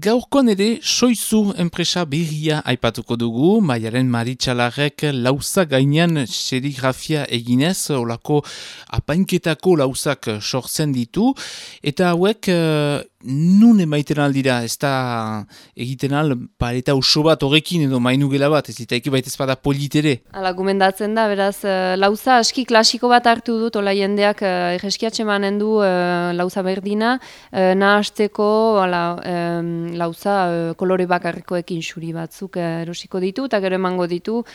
Gaurkoan ere Soizu enpresa berria aipatuko dugu, Maialen Maritxalarrek lauza gainean serigrafia eginez, olako apainketako lauzak sortzen ditu, eta hauek nun emaiten aldira, ez da egiten al pareta oso bat horrekin edo mainugela bat, ez ditaiki baita ezpada politere. Hala, gomendatzen da, beraz, lauza aski klasiko bat hartu dut, ola jendeak egeskiatxe manen du lauza berdina, nahasteko lauza kolore bakarrikoekin xuri batzuk erosiko ditu, eta gero emango ditu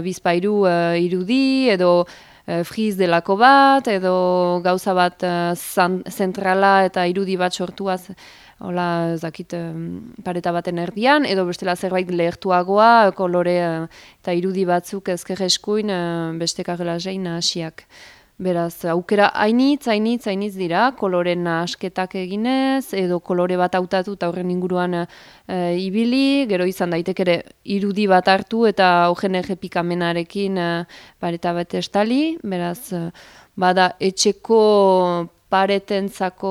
bizpairu irudi edo friz delako bat, edo gauza bat zentrala eta irudi bat sortuaz, hola, zakit, pareta baten erdian, edo bestela zerbait lehertuagoa, kolore eta irudi batzuk ezker eskuin beste karrelazein hasiak. Beraz, aukera hainitz dira, koloren asketak eginez, edo kolore bat hautatu eta horren inguruan ibili, gero izan daitek ere irudi bat hartu eta horren errepikamenarekin pareta bat estali, beraz, bada etxeko paretentzako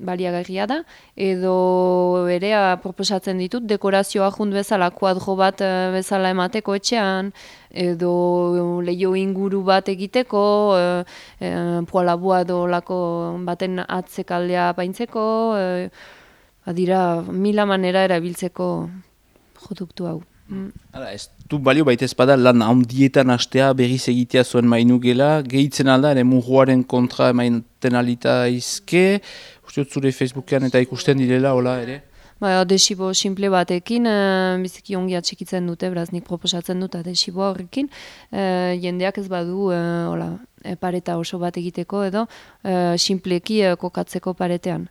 baliagarria da, edo ere proposatzen ditut dekorazioa jund bezala, kuadro bat bezala emateko etxean, edo leio inguru bat egiteko, poalabua edo lako baten atzekaldea paintzeko, dira mila manera erabiltzeko produktu hau. Hala, ez du balio baita ezpada lan handietan hastea berriz egitea zuen mainugela, gehitzen alda, ere murruaren kontra emaiten alita izke, uste dut zure Facebookean eta ikusten direla, hola ere? Adesibo simple batekin, biziki ongi atxikitzen dute, beraz nik proposatzen dut adesibo horrekin, jendeak ez badu pareta oso bat egiteko edo simpleki kokatzeko paretean.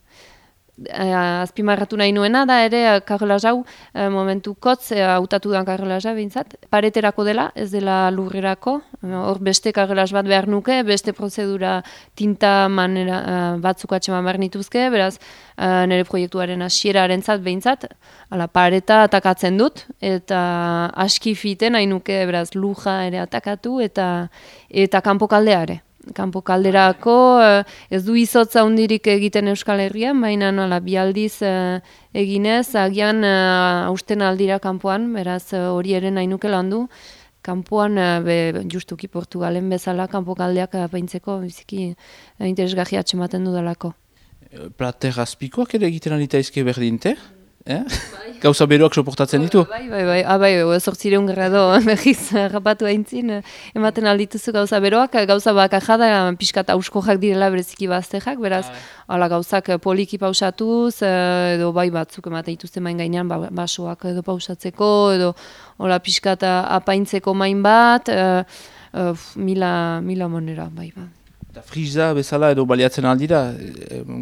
Azpimarratu nahi nuena da ere karrelaz hau momentu kotz hautatu da karrelaza behintzat. Pareterako dela, ez dela lurrerako. Hor beste karrelaz bat behar nuke, beste prozedura tinta manera batzuk atxeman behar nituzke, beraz nire proiektuaren hasierarentzat behintzat, pareta atakatzen dut, eta aski fiten nahi nuke beraz luja ere atakatu eta kanpo kaldea ere. Kanpo kalderako ez du izotza hundirik egiten Euskal Herrian, baina bi aldiz eginez, agian hausten aldira kanpoan, beraz hori ere nahi nuke landu. Kanpoan, justuki Portugalen bezala, kanpo kaldeak paintzeko biziki interesgarria atxematen dudalako. Plater azpikoak ere egiten alita izke berdinte? Gauza beroak soportatzen ditu? Bai, 800 grado behiz rapatu aintzin, ematen aldituzu gauza beroak, gauza bakarra da pixkat auskojak direla bereziki baztejak, beraz, gauzak poliki pausatuz, edo bai batzuk ematen dituzte main gainean, basoak edo pausatzeko, edo pixkat apaintzeko main bat, mila monera, bai. Eta friza bezala edo baliatzen aldira,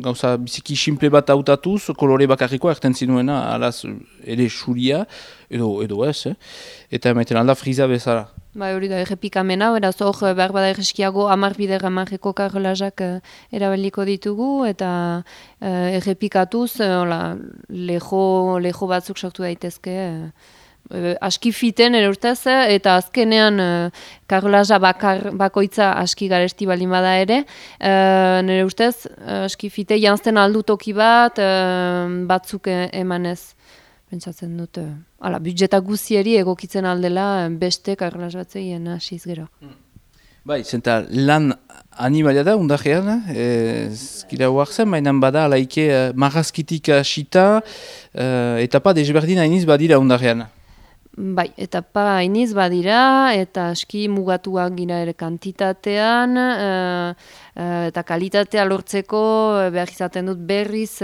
gauza biziki simple bat hautatuz, kolore bakarrikoa erten zinuena, alaz ere xuria, edo ez, eta emaiten alda friza bezala. Bai, hori da, errepikamena, beraz hor behar bada erreskiago 10 bider 10 karrelazak erabeliko ditugu, eta errepikatuz, leho batzuk sortu daitezke, aski fiten erurtez, eta azkenean karrelaza bakoitza aski garesti baldin bada ere, nire ustez aski fite janzten aldu toki bat, batzuk emanez, pentsatzen dut, budjeta guzieri egokitzen aldela beste karrelaz batzeien hasiz gero. Bai, zenta lan animalia da, undarrean, ezkira huartzen, baina bada alaike marrazkitik hasita, etapa desberdin hainiz badira undarrean. Bai, etapa hainiz badira, eta aski mugatuak gira ere kantitatean, eta kalitatea lortzeko behar izaten dut berriz,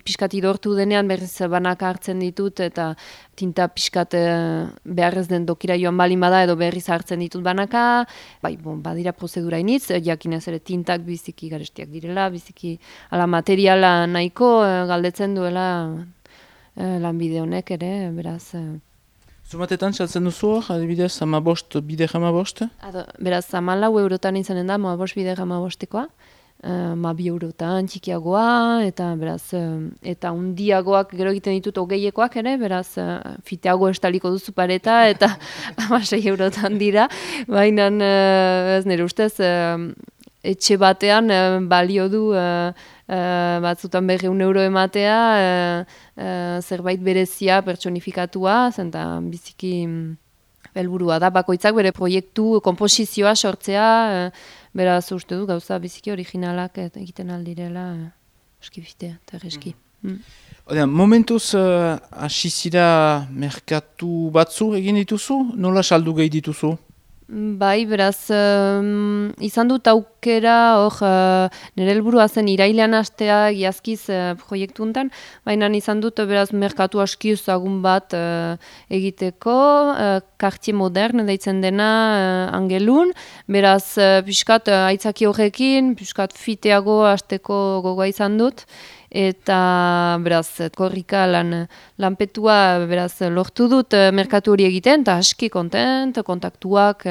pixkat idortu denean berriz banak hartzen ditut, eta tinta pixkat behar ez den dokira joan balin bada edo berriz hartzen ditut banaka, bai, badira prozedura hainiz, jakinez ere tintak biziki garestiak direla, biziki materiala nahiko galdetzen duela lanbide honek ere, beraz... Zumatetan txaltzen duzu hor, adibidez, bide 15? Beraz, 14 eurotan izanen da, 15 bide 15-tekoa. 2 eurotan txikiagoa, eta beraz, eta undiagoak gero egiten ditut 20ekoak ere, beraz, fiteago estaliko duzu pareta, eta 6 eurotan dira, baina ez nire ustez, etxe batean balio du batzutan 200 euro ematea, zerbait berezia pertsonifikatua, zenta biziki helburua da, bakoitzak bere proiektu, komposizioa sortzea, beraz uste du gauza biziki originalak egiten aldirela, eskibitea eta erreski. Momentuz hasi zira merkatu batzu egin dituzu? Nola saldu gehi dituzu? Bai, beraz, izan dut aukera, nire helburua zen irailean hastea giazkiz proiektu hontan, baina izan dut beraz merkatu aski ezagun bat egiteko, Quartier Moderne deitzen dena Angelun, beraz pixkat aitzaki horrekin, pixkat fiteago hasteko gogoa izan dut, eta beraz korrika lanpetua beraz lortu dut merkatu hori egiten, eta aski kontent, kontaktuak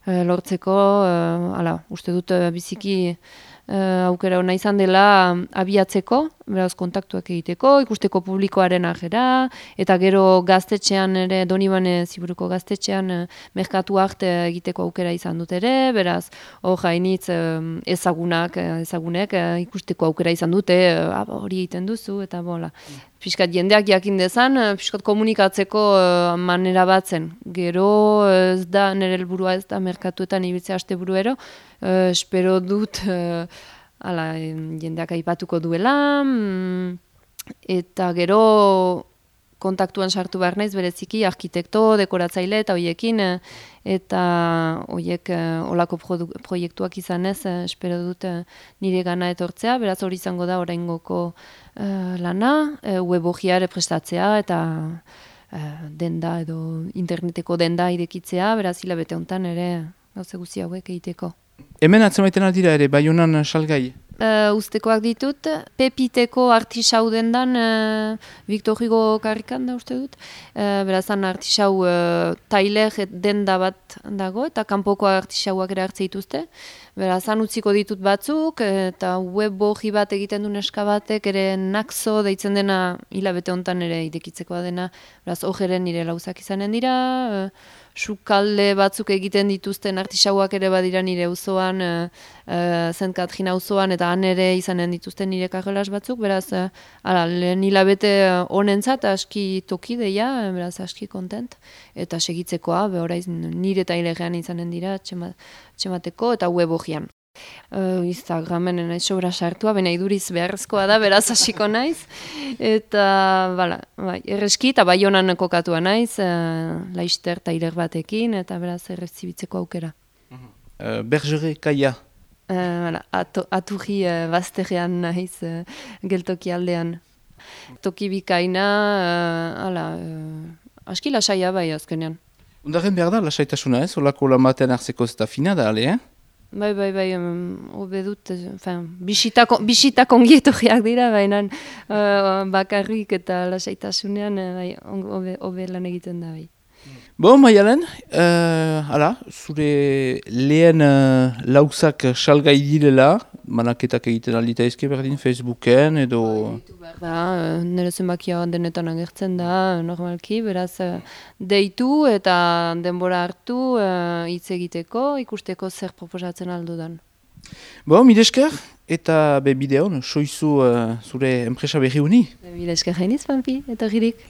lortzeko, uste dut biziki aukera ona izan dela abiatzeko, beraz kontaktuak egiteko, ikusteko publikoaren ajera, eta gero gaztetxean ere, Donibane Ziburuko gaztetxean merkatu arte egiteko aukera izan dut ere, beraz hainitz ezagunek ikusteko aukera izan dute, hori egiten duzu, eta bola. Piskat jendeak jakin dezan, piskat komunikatzeko manera bat zen. Gero ez da, nire helburua ez da merkatuetan ibiltzea asteburuero, espero dut jendeak aipatuko duela, eta gero kontaktuan sartu behar naiz bereziki arkitekto, dekoratzaile eta hoiekin, eta hoiek olako proiektuak izanez, espero dut nire gana etortzea, beraz hori izango da oraingoko lana, web orriare prestatzea eta denda edo interneteko denda irekitzea, beraz hilabete honetan ere gauze guzti hauek egiteko. Hemen atzemaiten aldira ere, Baionan salgai? Ustekoak ditut, Pepiteko artisau dendan, Victor Hugo karrikan da uste dut, berazan artisau tailer denda bat dago, eta kanpoko artisauak ere hartze dituzte. Berazan utziko ditut batzuk, eta web orri bat egiten du neska batek, ere Naxo deitzen dena hilabete honetan ere idekitzekoa dena, beraz hojeren nire lauzak izanen dira, sukalde batzuk egiten dituzten artisauak ere badira nire auzoan, St. Katrin auzoan, eta han ere izanen dituzten nire karrelas batzuk, beraz, lehen hilabete honentzat aski toki deia, beraz aski kontent, eta segitzekoa, oraiz nire tailerean izanen dira, txemateko eta web orrian. Instagramen naiz sobra sartua, baina iduriz beharrezkoa da, beraz hasiko naiz, eta erreski eta Baionan kokatua naiz, Laister tailer batekin, eta beraz errezibitzeko aukera. Bergere Kaia? Aturri bazterrean naiz, geltoki aldean. Toki bikaina, aski lasaia bai azkenean. Undaren behar da lasaitasuna ez, olako lamatean hartzeko ez da fina da, ale, Bai, hobe dut, bisitak ongietorriak dira, baina bakarrik eta lasaitasunean hobe lan egiten da, bai. Maialen, zure lehen lauzak salgai direla, manaketak egiten aldita ezke berdin Facebooken edo... Nire zenbakia denetan agertzen da, normalki, beraz deitu eta denbora hartu hitz egiteko, ikusteko zer proposatzen aldudan. Mire esker, eta bideon, soizu zure enpresa berri huni? Mire esker jainiz, Pampi, eta girik.